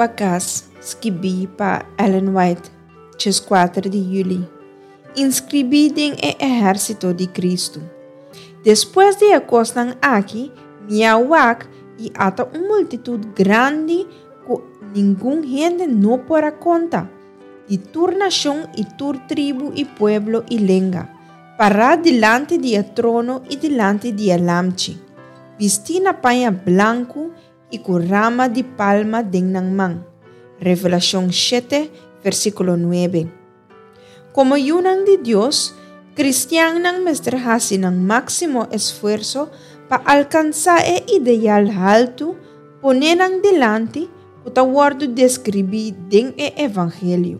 pa Kas, skibí pa Ellen White, 14 di yüli. Inskribí den e ehérsito di Kristu. Despues di e kosnan aki, mi a wak i ata un multitut grandi ku ningun hende no por a konta, di tur nashon i tur tribu i pueblo i lenga, pará dilanti di e trono i dilanti di e Lamchi, bistí na paña blanku i ku rama di palma den nan man. Revelashon shete, versíkulo nuebe. Komo yunan di Dios, kristiannan mester hasi nan máksimo esfuerso pa alkansá e ideal haltu poné nan dilanti ku ta wòrdu deskribí den e evangelio.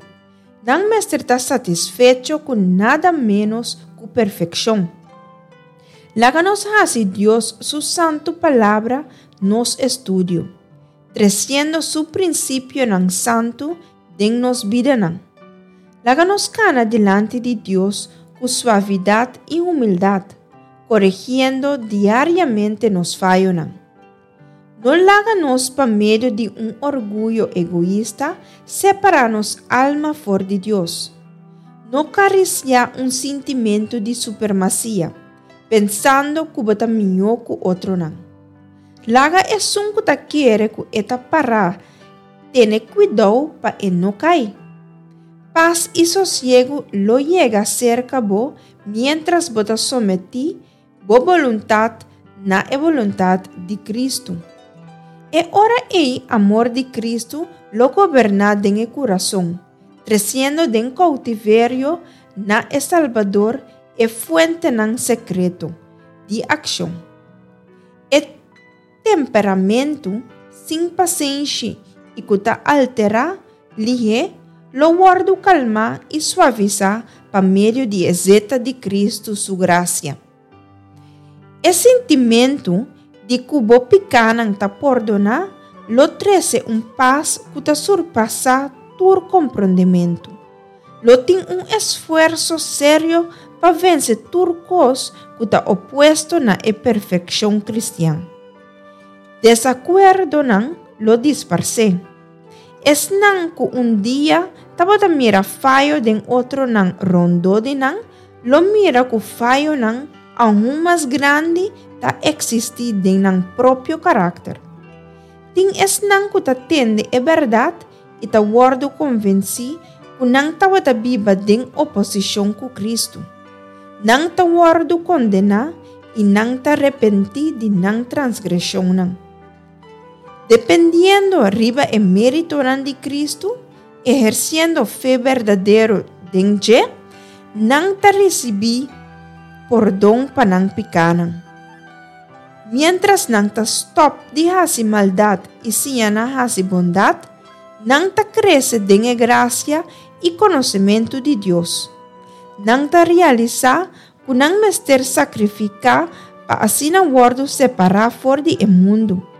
Nan mester ta satisfecho ku nada ménos ku perfekshon. Laga nos hasi Dios su santu Palabra nos estudio, tresiendo su prinsipionan santu den nos bidanan. Laga nos kana dilanti di Dios ku suavidat i humildat, koregiendo diariamente nos fayonan. No laga nos pa medio di un orguyo egoista separá nos alma for di Dios. No karisiá un sintimentu di supremasia, pensando ku bo ta mihó ku otronan. Laga esun ku ta kere ku e ta pará Tene kuidou pa e no kai. Pas i sosiegu lo yega serka bo miéntras bo ta sometí bo boluntat na e boluntat di Kristu. E ora ei amor di Kristu lo goberná den e kurason, tresiendo den koutiverio na e Salbador e fuentenan sekreto di akshon. E Temperamentu sin pasenshi i ku ta alterá lihé lo wòrdu kalmá i suavisá pa medio di e zeta di Kristu su grasia. E sintimentu di ku bo pikánan ta pordoná lo trese un pas ku ta surpasá tur komprondementu. Lo tin un esfuerso serio pa vense tur kos ku ta opuesto na e perfekshon kristian. Desakuerdonan lo disparsé. Esnan ku un dia tabata mira fayo den otronan rondó di nan lo mira ku fayonan aun mas grandi ta eksistí den nan propio karakter. Tin esnan ku ta tende e bèrdat i ta wòrdu konvensí ku nan tabata biba den oposishon ku Kristu. Nan ta wòrdu kondená i nan ta repentí di nan transgreshonnan. Dependiendo riba e méritonan di Kristu, ehersiendo fe berdadero den dje, nan ta risibí pordon pa nan pikánan. Miéntras nan ta stòp di hasi maldat i siña na hasi bondat, nan ta krese den e grasia i konosementu di Dios. Nan ta realisá ku nan mester sakrifiká pa asina wòrdu separá for di e mundu.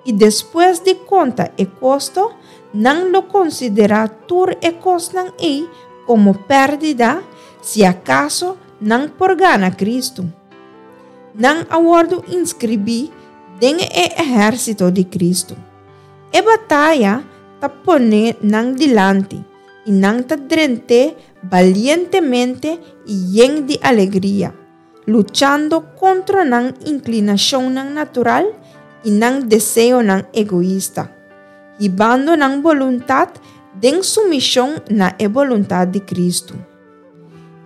I despues di konta e kosto, nan lo konsiderá tur e kosnan ei komo pèrdida si akaso nan por gana Kristu. Nan a wòrdu inskribí den e ehérsito di Kristu. E bataya ta pone nan dilanti i nan ta drent'é balientemente i yen di alegria, luchando kontra nan inklinashonnan natural i nan deseonan egoista, hibando nan boluntat den sumishon na e boluntat di Kristu.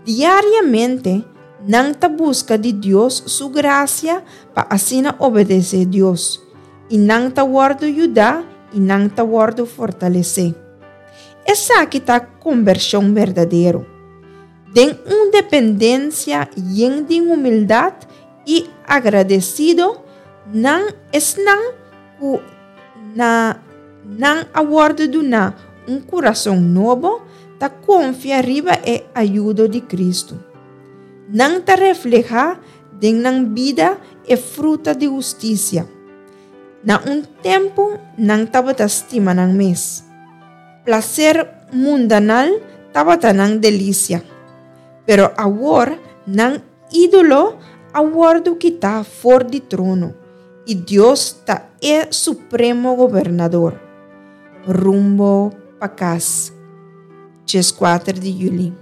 Diariamente nan ta buska di Dios su grasia pa asina obedesé Dios, i nan ta wòrdu yudá i nan ta wòrdu fortalesé. Esaki ta kombershon berdadero. Den un dependensia yen di humildat i agradesido, nan esnan ku na nan a wòrdu duná un kurason nobo, ta konfia riba e ayudo di Kristu. Nan ta reflehá den nan bida e fruta di hustisia. Na un tempu nan tabata stima nan mes. Plaser mundanal tabata nan delisia. Pero awor nan ídolo a wòrdu kitá for di trono i Dios ta e Supremo Gobernador. Rumbo pa kas, 14 di yüli.